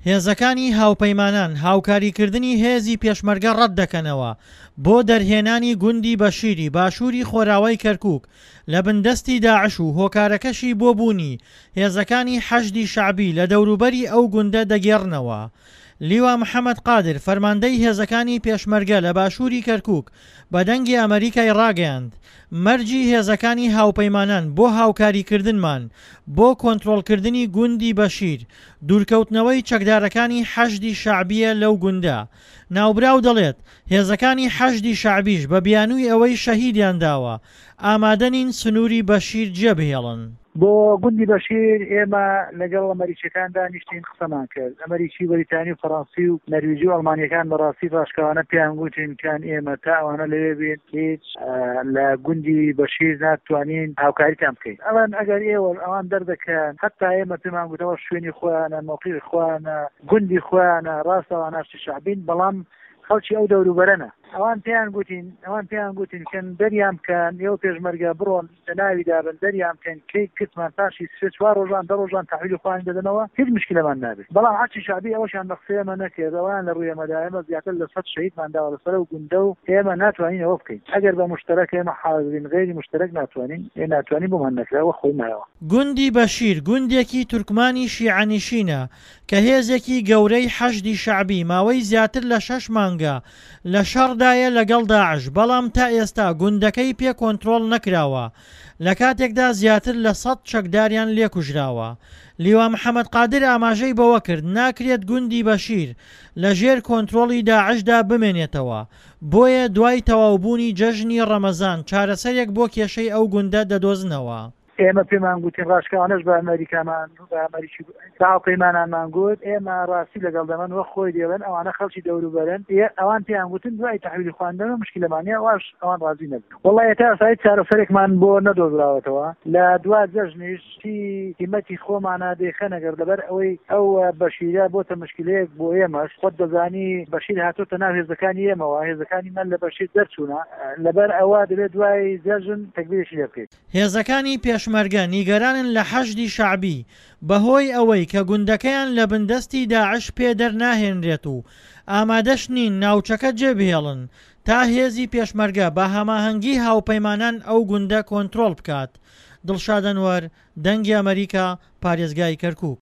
هێزەکانی هاوپەیمانان هاوکاریکردنی هێزی پێشمەرگە ڕەتدەکەنەوە بۆ دەرهێنانی گوندی بەشیری باشووری خۆراوای کەرکوک لە بندەستی داعش و هۆکارەکەشی بۆ بوونی هێزەکانی حەشدی شەعبی لە دەوروبەری ئەو گوندە دەگێڕنەوە. لیوا محەمەد قادر فەرماندەی هێزەکانی پێشمەرگە لە باشووری کەرکوک بە دەنگی ئەمەریکای ڕاگەیاند مەرجی هێزەکانی هاوپەیمانان بۆ هاوکاریکردنمان بۆ کۆنترۆڵکردنی گوندی بەشیر دوورکەوتنەوەی چەکدارەکانی حەشدی شەعبییە لەو گوندە. ناوبراو دەڵێت، هێزەکانی حەشدی شەعبیش بە بیانووی ئەوەی شەهیدیان داوە، ئامادە نین سنووری بەشیر جێبهێڵن. بۆ گوندی بەشیر ئێمە لەگەڵ ئەمەریکیەکان دانیشتین قسەمان کرد، ئەمەریکی و بەریتانی و فەڕەنسی و نەرویجی و ئەڵمانیەکان بەڕاستی ڕاشکاوانە پێیان گوتین کان ئێمە تا ئەوانە لەوێ بین هیچ لە گوندی بەشیر ناتوانین هاوکاریتان بکەین. ئەڵێن ئەگەر ئێوە ئەوان دەردەکەن، هەتا ئێمە پێمان گوتەوە شوێنی خۆیانە، مەوقیعی خۆیانە، گوندی خۆیانە، ڕاستە ئەوان ئاشتی شەعبین، بەڵام خەڵکی ئەو دەوروبەرەنە. ئەوان پێیان گوتین، ئەوان پێیان گوتین کەن دەریان بکەن، ئێوە پێشمەرگە بڕۆن لە ناویدا بن، دەریان بکەن، کەی گرتمان پاشی سێ چوار ڕۆژان دە ڕۆژان تەحویلی خۆیانی دەدەنەوە، هیچ مشکیلەمان نابێ. بەڵام حەشدی شەعبی ئەوەشیان بە قسەی ئێمە نەکرد، ئەوەیان لە ڕووی ئێمەدا، ئێمە زیاتر لە سەت شەهیدمان داوە لەسەر ئەو گوندە و ئێمە ناتوانین ئەوە بکەین. ئەگەر بە موشتەرەک ئێمە حازرین، غەیری موشتەرەک ناتوانین، ئێ ناتوانین بۆمان نەکرا وەک خۆی مایەوە. گوندی بەشیر گوندێکی تورکمانی شیعەنشینە کە هێزێکی گەورەی حەشدی شەعبی ماوەی زیاتر لە شەش مانگە لە شەڕدایە لەگەڵ داعش، بەڵام تا ئێستا گوندەکەی پێ کۆنترۆڵ نەکراوە لەکاتێکدا زیاتر لە سەت چەکداریان لێکوژراوە. لیوا محەمەد قادر ئاماژەی بەوەکرد، ناکرێت گوندی بەشیر لەژێر کۆنترۆڵی داعشدا بمێنێتەوە، بۆیە دوای تەواوبوونی جەژنی ڕەمەزان چارەسەرێک بۆ کێشەی ئەو گوندە دەدۆزنەوە. ئێمە پێمان گوتین ڕاشکاوانەش بە ئەمەریکامان بە ئەمەریکی بە هاوپەیمانانمان گوت ئێمە ڕاستی لەگەڵ دەمەن وەک خۆی دێڵێن ئەوانە خەڵکی دەوروبەرن ئەوان پێیان گوتن دوای تەحویلی خواندنەوە مشکلەمان نیە واش ئەوان ڕازی نەبوون وەڵا تا ئێستا هیچ چارەسەرێکمان بۆ نەدۆزراوەتەوە لە دوا جەژنیش چی هیمەتی خۆمانە دەیخەنە گەڕ لەبەر ئەوەی ئەو بەشیرە بۆتە مشکلەیەک بۆ ئێمەش خۆت دەزانی بەشیر هاتۆتە ناو هێزەکانی ئێمەوە هێزەکانی من لە بەشیر دەرچوونە لەبەر ئەوە دەبێت دوای جەژن تەگبیرێکی لێ بکەین. هێزەکانی پێشمەرگە نیگەرانن لە حەشدی شەعبی بەهۆی ئەوەی کە گوندەکەیان لە بندەستی داعش پێ دەرناهێنرێت و ئامادەش نین ناوچەکە جێبهێڵن تا هێزی پێشمەرگە بە هەماهەنگی هاوپەیمانان ئەو گوندە کۆنترۆڵ بکات. دڵشاد ئەنوەر، دەنگی ئەمەریکا، پارێزگای کەرکوک.